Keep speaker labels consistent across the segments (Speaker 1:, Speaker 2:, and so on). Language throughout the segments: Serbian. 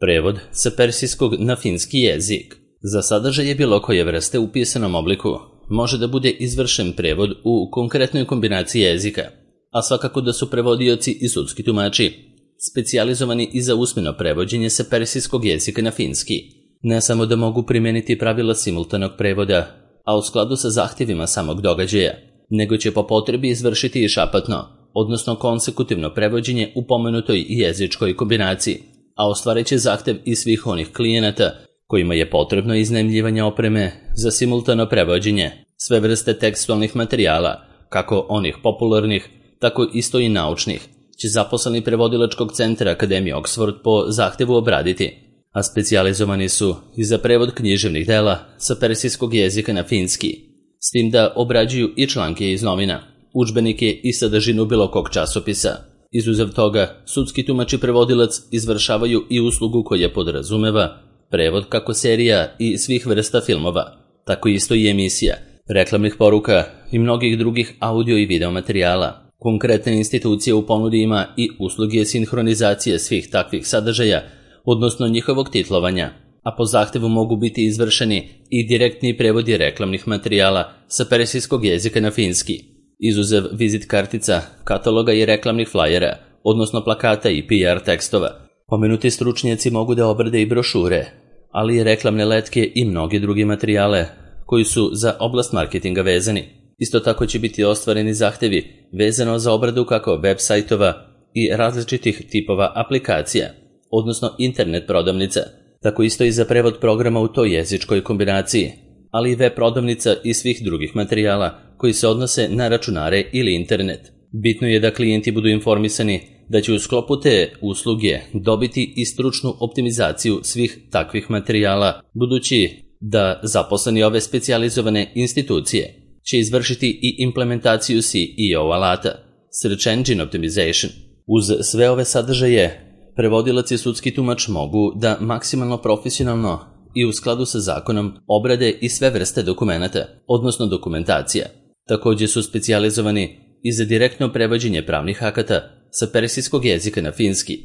Speaker 1: Prevod sa persijskog na finski jezik. Za sadržaje bilo koje vrste u pisanom obliku može da bude izvršen prevod u konkretnoj kombinaciji jezika, a svakako da su prevodioci i sudski tumači specijalizovani i za usmeno prevođenje sa persijskog jezika na finski. Ne samo da mogu primeniti pravila simultanog prevoda, a u skladu sa zahtjevima samog događaja, nego će po potrebi izvršiti i šapatno, odnosno konsekutivno prevođenje u pomenutoj jezičkoj kombinaciji, a ostvarit će zahtjev i svih onih klijenata kojima je potrebno iznajmljivanje opreme za simultano prevođenje sve vrste tekstualnih materijala, kako onih popularnih, tako isto i naučnih, će zaposleni prevodilačkog centra Akademije Oxford po zahtjevu obraditi, a specijalizovani su i za prevod književnih dela sa persijskog jezika na finski, s tim da obrađuju i članke iz novina, udžbenike i sadržinu bilo kog časopisa. Izuzev toga, sudski tumač i prevodilac izvršavaju i uslugu koja podrazumeva prevod kako serija i svih vrsta filmova, tako isto i emisija, reklamnih poruka i mnogih drugih audio i video materijala. Konkretna institucija u ponudi ima i usluge sinhronizacije svih takvih sadržaja, odnosno njihovog titlovanja, a po zahtevu mogu biti izvršeni i direktni prevodi reklamnih materijala sa persijskog jezika na finski, izuzev vizit kartica, kataloga i reklamnih flajera, odnosno plakata i PR tekstova. Pomenuti stručnjaci mogu da obrade i brošure, ali i reklamne letke i mnoge druge materijale koji su za oblast marketinga vezani. Isto tako će biti ostvareni zahtevi vezano za obradu kako web sajtova i različitih tipova aplikacija, odnosno internet prodavnica, tako isto i za prevod programa u toj jezičkoj kombinaciji, ali i web prodavnica i svih drugih materijala koji se odnose na računare ili internet. Bitno je da klijenti budu informisani da će u sklopu te usluge dobiti i stručnu optimizaciju svih takvih materijala, budući da zaposleni ove specijalizovane institucije će izvršiti i implementaciju SEO alata, Search Engine Optimization. Uz sve ove sadržaje, prevodilac i sudski tumač mogu da maksimalno profesionalno i u skladu sa zakonom obrade i sve vrste dokumenata, odnosno dokumentacija. Također su specijalizovani i za direktno prevođenje pravnih akata sa persijskog jezika na finski,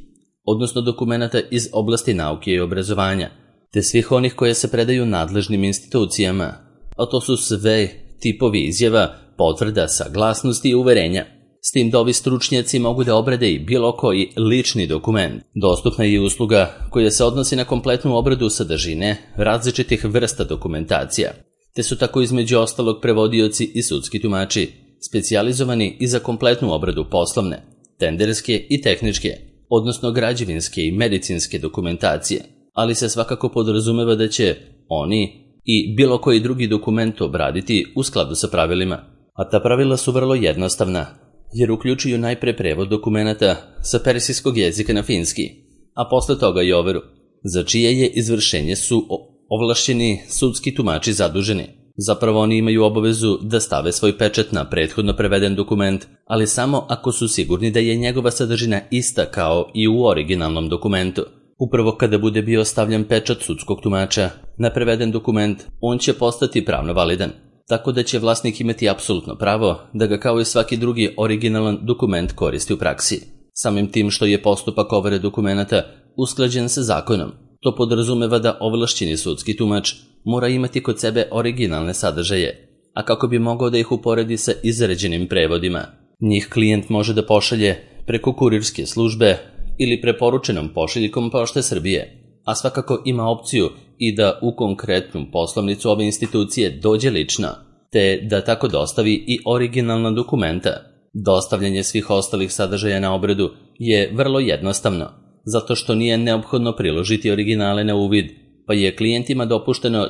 Speaker 1: odnosno dokumenata iz oblasti nauke i obrazovanja, te svih onih koje se predaju nadležnim institucijama, a to su sve tipovi izjava, potvrda, saglasnosti i uverenja. S tim da ovi stručnjaci mogu da obrade i bilo koji lični dokument. Dostupna je i usluga koja se odnosi na kompletnu obradu sadržine različitih vrsta dokumentacija, te su tako između ostalog prevodioci i sudski tumači specijalizovani i za kompletnu obradu poslovne, tenderske i tehničke, odnosno građevinske i medicinske dokumentacije, ali se svakako podrazumeva da će oni i bilo koji drugi dokument obraditi u skladu sa pravilima. A ta pravila su vrlo jednostavna, jer uključuju najpre prevod dokumenata sa persijskog jezika na finski, a posle toga i overu, za čije je izvršenje su ovlašćeni sudski tumači zaduženi. Zapravo oni imaju obavezu da stave svoj pečat na prethodno preveden dokument, ali samo ako su sigurni da je njegova sadržina ista kao i u originalnom dokumentu. Upravo kada bude bio stavljen pečat sudskog tumača na preveden dokument, on će postati pravno validan, tako da će vlasnik imati apsolutno pravo da ga kao i svaki drugi originalan dokument koristi u praksi. Samim tim što je postupak overe dokumenata usklađen sa zakonom, to podrazumeva da ovlašćeni sudski tumač mora imati kod sebe originalne sadržaje, a kako bi mogao da ih uporedi sa izrađenim prevodima, njih klijent može da pošalje preko kurirske službe ili preporučenom pošiljkom Pošte Srbije, a svakako ima opciju i da u konkretnu poslovnicu ove institucije dođe lično, te da tako dostavi i originalna dokumenta. Dostavljanje svih ostalih sadržaja na obradu je vrlo jednostavno, zato što nije neophodno priložiti originale na uvid, pa je klijentima dopušteno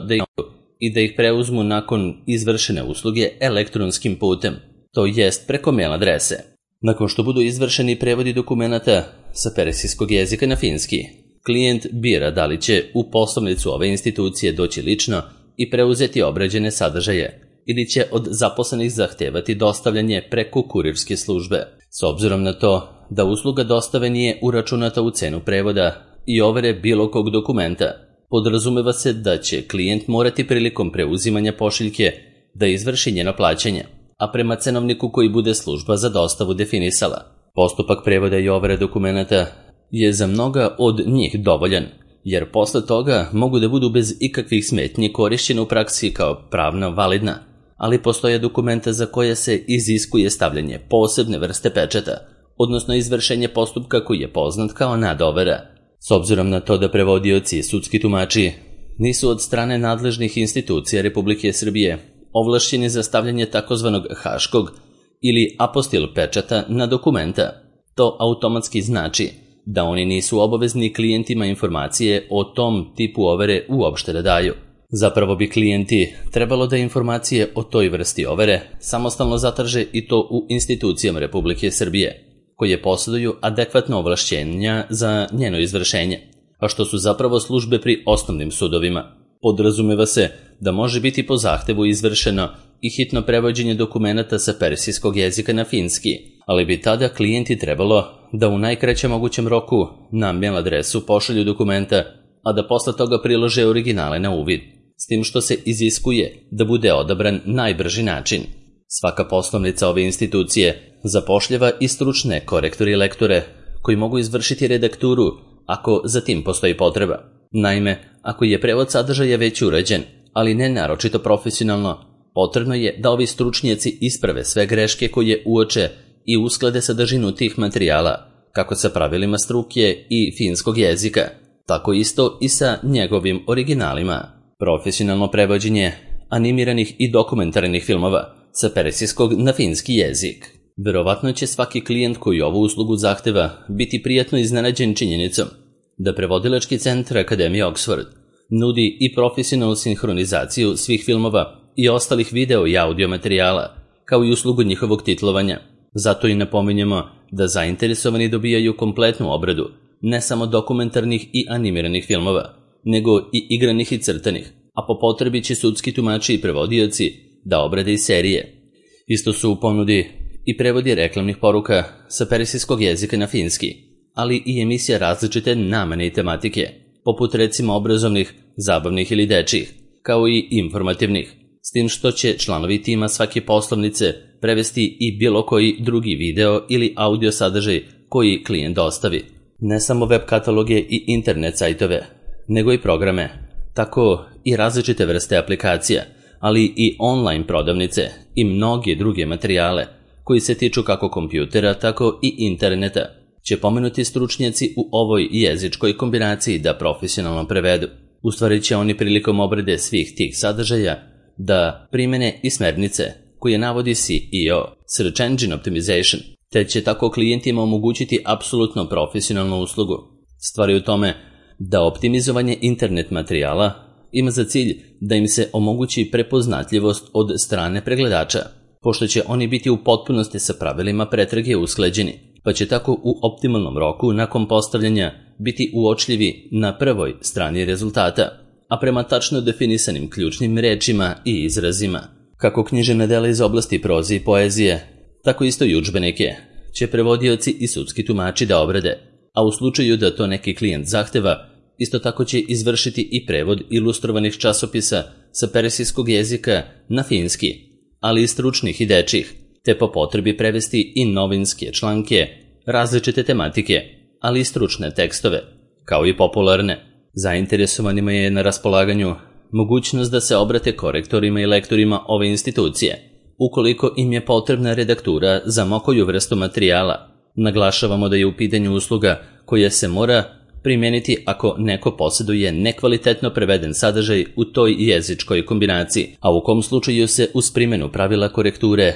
Speaker 1: da ih preuzmu nakon izvršene usluge elektronskim putem, to jest preko mail adrese. Nakon što budu izvršeni prevodi dokumenata sa persijskog jezika na finski, klijent bira da li će u poslovnicu ove institucije doći lično i preuzeti obrađene sadržaje, ili će od zaposlenih zahtevati dostavljanje preko kurirske službe. S obzirom na to da usluga dostave nije uračunata u cenu prevoda i overe bilo kog dokumenta, podrazumeva se da će klijent morati prilikom preuzimanja pošiljke da izvrši njeno plaćanje, a prema cenovniku koji bude služba za dostavu definisala. Postupak prevoda i overe dokumenata je za mnoga od njih dovoljan, jer posle toga mogu da budu bez ikakvih smetnji korišćene u praksi kao pravno validna, ali postoje dokumenta za koje se iziskuje stavljanje posebne vrste pečata, odnosno izvršenje postupka koji je poznat kao nadovera. S obzirom na to da prevodioci i sudski tumači nisu od strane nadležnih institucija Republike Srbije ovlašćeni za stavljanje takozvanog haškog ili apostil pečata na dokumenta, to automatski znači da oni nisu obavezni klijentima informacije o tom tipu overe uopšte da daju. Zapravo bi klijenti trebalo da informacije o toj vrsti overe samostalno zatraže i to u institucijama Republike Srbije, koje posjeduju adekvatno ovlašćenja za njeno izvršenje, a što su zapravo službe pri osnovnim sudovima. Podrazumeva se da može biti po zahtevu izvršeno i hitno prevođenje dokumenata sa persijskog jezika na finski, ali bi tada klijenti trebalo da u najkraćem mogućem roku na mail adresu pošalju dokumenta, a da posle toga prilože originale na uvid, s tim što se iziskuje da bude odabran najbrži način. Svaka poslovnica ove institucije zapošljava i stručne korektore i lektore koji mogu izvršiti redakturu ako za tim postoji potreba. Naime, ako je prevod sadržaja već urađen, ali ne naročito profesionalno, potrebno je da ovi stručnjaci isprave sve greške koje uoče i usklade sadržinu tih materijala, kako sa pravilima struke i finskog jezika, tako isto i sa njegovim originalima. Profesionalno prevođenje animiranih i dokumentarnih filmova sa persijskog na finski jezik. Verovatno će svaki klijent koji ovu uslugu zahteva biti prijatno iznenađen činjenicom da prevodilački centar Akademije Oxford nudi i profesionalnu sinhronizaciju svih filmova i ostalih video i audio materijala, kao i uslugu njihovog titlovanja. Zato i napominjemo da zainteresovani dobijaju kompletnu obradu ne samo dokumentarnih i animiranih filmova, nego i igranih i crtanih, a po potrebi će sudski tumači i prevodioci da obrade i serije. Isto su u ponudi i prevodi reklamnih poruka sa persijskog jezika na finski, ali i emisija različite namene i tematike, poput recimo obrazovnih, zabavnih ili dečjih, kao i informativnih, s tim što će članovi tima svake poslovnice prevesti i bilo koji drugi video ili audio sadržaj koji klijent dostavi. Ne samo web kataloge i internet sajtove, nego i programe, tako i različite vrste aplikacija, ali i online prodavnice i mnoge druge materijale koji se tiču kako kompjutera, tako i interneta, će pomenuti stručnjaci u ovoj jezičkoj kombinaciji da profesionalno prevedu. U stvari će oni prilikom obrade svih tih sadržaja da primene i smernice koje navodi SEO, Search Engine Optimization, te će tako klijentima omogućiti apsolutno profesionalnu uslugu. Stvar je u tome da optimizovanje internet materijala ima za cilj da im se omogući prepoznatljivost od strane pregledača, pošto će oni biti u potpunosti sa pravilima pretrage usklađeni, pa će tako u optimalnom roku nakon postavljanja biti uočljivi na prvoj strani rezultata, a prema tačno definisanim ključnim rečima i izrazima. Kako književna dela iz oblasti proze i poezije, tako isto i udžbenike će prevodioci i sudski tumači da obrade, a u slučaju da to neki klijent zahteva, isto tako će izvršiti i prevod ilustrovanih časopisa sa persijskog jezika na finski, ali i stručnih i dečjih, te po potrebi prevesti i novinske članke, različite tematike, ali i stručne tekstove, kao i popularne. Zainteresovanima je na raspolaganju mogućnost da se obrate korektorima i lektorima ove institucije, ukoliko im je potrebna redaktura za mokoju vrstu materijala. Naglašavamo da je u pitanju usluga koja se mora primijeniti ako neko posjeduje nekvalitetno preveden sadržaj u toj jezičkoj kombinaciji, a u kom slučaju se uz primjenu pravila korekture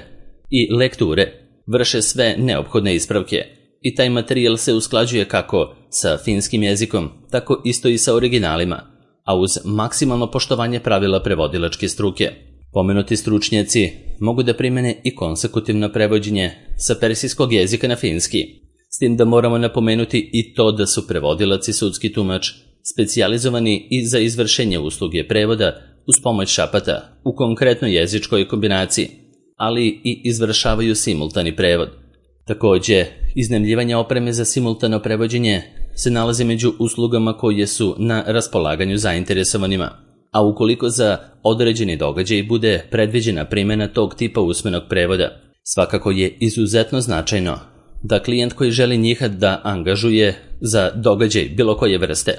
Speaker 1: i lekture vrše sve neophodne ispravke i taj materijal se usklađuje kako sa finskim jezikom, tako isto i sa originalima, a uz maksimalno poštovanje pravila prevodilačke struke. Pomenuti stručnjaci mogu da primene i konsekutivno prevođenje sa persijskog jezika na finski, s tim da moramo napomenuti i to da su prevodilac i sudski tumač specijalizovani i za izvršenje usluge prevoda uz pomoć šapata u konkretnoj jezičkoj kombinaciji, ali i izvršavaju simultani prevod. Također, iznajmljivanje opreme za simultano prevođenje se nalazi među uslugama koje su na raspolaganju zainteresovanima, a ukoliko za određeni događaj bude predviđena primjena tog tipa usmenog prevoda, svakako je izuzetno značajno da klijent koji želi njih da angažuje za događaj bilo koje vrste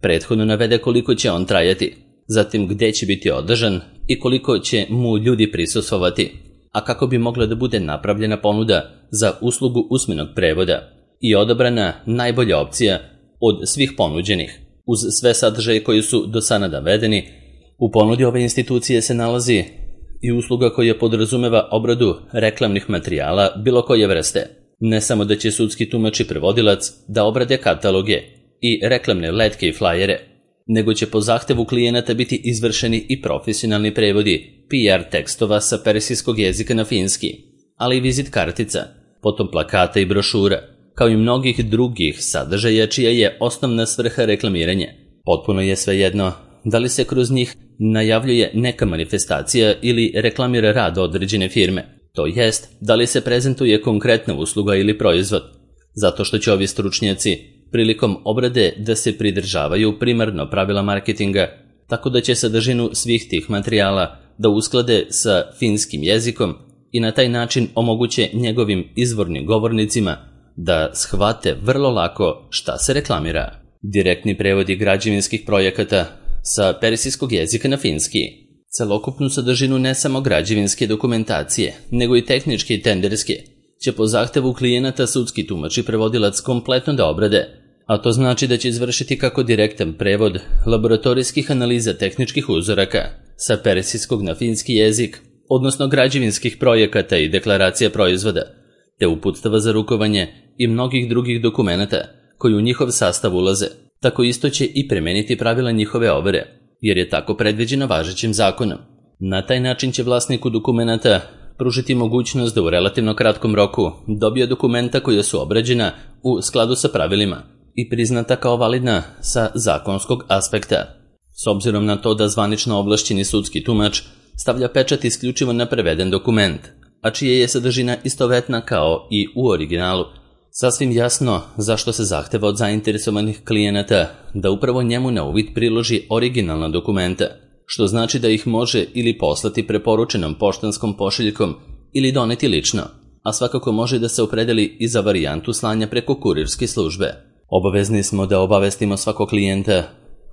Speaker 1: prethodno navede koliko će on trajati, zatim gde će biti održan i koliko će mu ljudi prisustvovati, a kako bi mogla da bude napravljena ponuda za uslugu usmenog prevoda i odabrana najbolja opcija od svih ponuđenih. Uz sve sadržaje koji su do sada navedeni, u ponudi ove institucije se nalazi i usluga koja podrazumeva obradu reklamnih materijala bilo koje vrste. Ne samo da će sudski tumač i prevodilac da obrade kataloge i reklamne letke i flajere, nego će po zahtevu klijenata biti izvršeni i profesionalni prevodi PR tekstova sa persijskog jezika na finski, ali i vizit kartica, potom plakata i brošura, kao i mnogih drugih sadržaja čija je osnovna svrha reklamiranje. Potpuno je svejedno da li se kroz njih najavljuje neka manifestacija ili reklamira rad određene firme, to jest da li se prezentuje konkretna usluga ili proizvod, zato što će ovi stručnjaci prilikom obrade da se pridržavaju primarno pravila marketinga, tako da će sadržinu svih tih materijala da usklade sa finskim jezikom i na taj način omoguće njegovim izvornim govornicima da shvate vrlo lako šta se reklamira. Direktni prevodi građevinskih projekata sa persijskog jezika na finski. Celokupnu sadržinu ne samo građevinske dokumentacije, nego i tehničke i tenderske, će po zahtevu klijenata sudski tumač i prevodilac kompletno da obrade, a to znači da će izvršiti kako direktan prevod laboratorijskih analiza tehničkih uzoraka sa persijskog na finski jezik, odnosno građevinskih projekata i deklaracija proizvoda, te uputstava za rukovanje i mnogih drugih dokumenata koji u njihov sastav ulaze. Tako isto će i premeniti pravila njihove overe, jer je tako predviđeno važećim zakonom. Na taj način će vlasniku dokumenata pružiti mogućnost da u relativno kratkom roku dobije dokumenta koja su obrađena u skladu sa pravilima i priznata kao validna sa zakonskog aspekta. S obzirom na to da zvanično ovlašćeni sudski tumač stavlja pečat isključivo na preveden dokument, a čija je sadržina istovetna kao i u originalu, sasvim jasno zašto se zahteva od zainteresovanih klijenata da upravo njemu na uvid priloži originalna dokumenta, što znači da ih može ili poslati preporučenom poštanskom pošiljkom ili doneti lično, a svakako može da se opredeli i za varijantu slanja preko kurirske službe. Obavezni smo da obavestimo svakog klijenta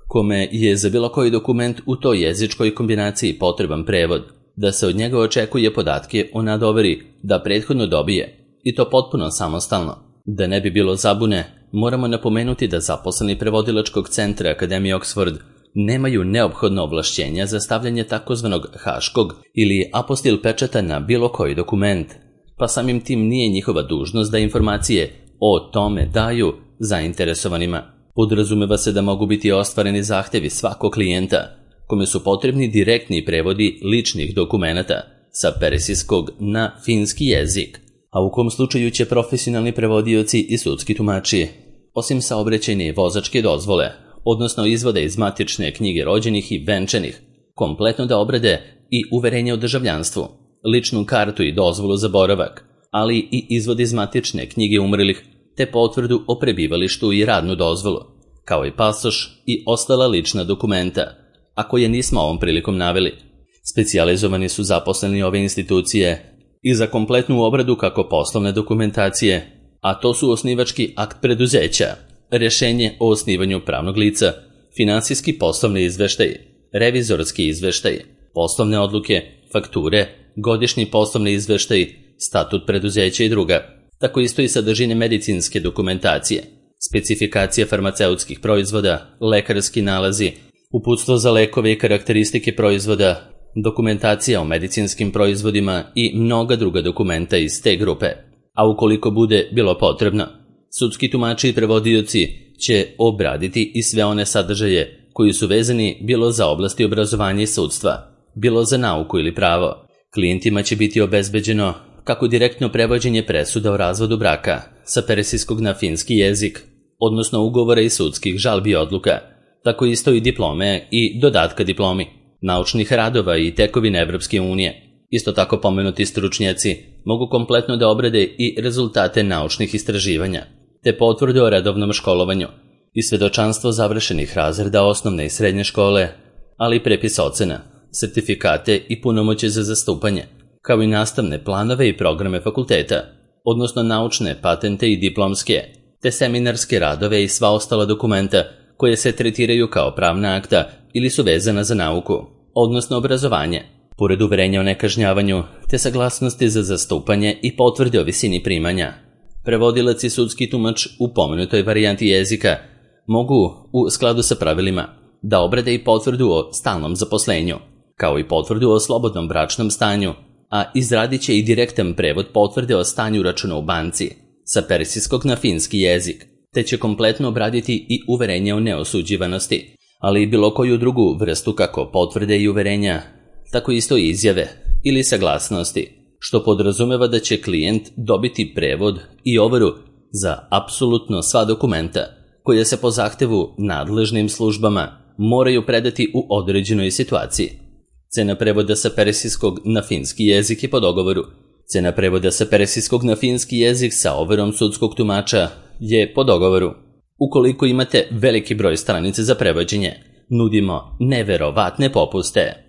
Speaker 1: kome je za bilo koji dokument u toj jezičkoj kombinaciji potreban prevod, da se od njega očekuje podatke o nadoveri da prethodno dobije, i to potpuno samostalno. Da ne bi bilo zabune, moramo napomenuti da zaposleni prevodilačkog centra Akademije Oxford nemaju neophodno ovlašćenja za stavljanje takozvanog haškog ili apostil pečata na bilo koji dokument, pa samim tim nije njihova dužnost da informacije o tome daju zainteresovanima. Podrazumeva se da mogu biti ostvareni zahtevi svakog klijenta, kome su potrebni direktni prevodi ličnih dokumenata sa persijskog na finski jezik, a u kom slučaju će profesionalni prevodioci i sudski tumači, osim saobraćajne i vozačke dozvole, odnosno izvode iz matične knjige rođenih i venčanih, kompletno da obrade i uverenje o državljanstvu, ličnu kartu i dozvolu za boravak, ali i izvod iz matične knjige umrlih, te potvrdu o prebivalištu i radnu dozvolu, kao i pasoš i ostala lična dokumenta, a koje nismo ovom prilikom naveli. Specijalizovani su zaposleni ove institucije i za kompletnu obradu kako poslovne dokumentacije, a to su osnivački akt preduzeća, rješenje o osnivanju pravnog lica, finansijski poslovni izveštaj, revizorski izveštaj, poslovne odluke, fakture, godišnji poslovni izveštaj, statut preduzeća i druga. Tako isto i sadržine medicinske dokumentacije, specifikacija farmaceutskih proizvoda, lekarski nalazi, uputstvo za lekove i karakteristike proizvoda, dokumentacija o medicinskim proizvodima i mnoga druga dokumenta iz te grupe. A ukoliko bude bilo potrebno, sudski tumači i prevodioci će obraditi i sve one sadržaje koji su vezani bilo za oblasti obrazovanja i sudstva, bilo za nauku ili pravo. Klijentima će biti obezbeđeno kako direktno prevođenje presuda o razvodu braka sa persijskog na finski jezik, odnosno ugovora i sudskih žalbi i odluka, tako isto i diplome i dodatka diplomi, naučnih radova i tekovine Evropske unije. Isto tako pomenuti stručnjaci mogu kompletno da obrade i rezultate naučnih istraživanja, te potvrde o redovnom školovanju i svedočanstvo završenih razreda osnovne i srednje škole, ali i prepis ocena, sertifikate i punomoćje za zastupanje, kao i nastavne planove i programe fakulteta, odnosno naučne, patente i diplomske, te seminarske radove i sva ostala dokumenta koje se tretiraju kao pravna akta ili su vezana za nauku, odnosno obrazovanje, pored uverenja o nekažnjavanju te saglasnosti za zastupanje i potvrde o visini primanja. Prevodilac i sudski tumač u pomenutoj varijanti jezika mogu, u skladu sa pravilima, da obrade i potvrdu o stalnom zaposlenju, kao i potvrdu o slobodnom bračnom stanju, a izradit će i direktan prevod potvrde o stanju računa u banci sa persijskog na finski jezik, te će kompletno obraditi i uverenje o neosuđivanosti, ali i bilo koju drugu vrstu kako potvrde i uverenja, tako isto i izjave ili saglasnosti, što podrazumeva da će klijent dobiti prevod i overu za apsolutno sva dokumenta koje se po zahtevu nadležnim službama moraju predati u određenoj situaciji. Cena prevoda sa persijskog na finski jezik je po dogovoru. Cena prevoda sa persijskog na finski jezik sa overom sudskog tumača je po dogovoru. Ukoliko imate veliki broj stranica za prevođenje, nudimo neverovatne popuste.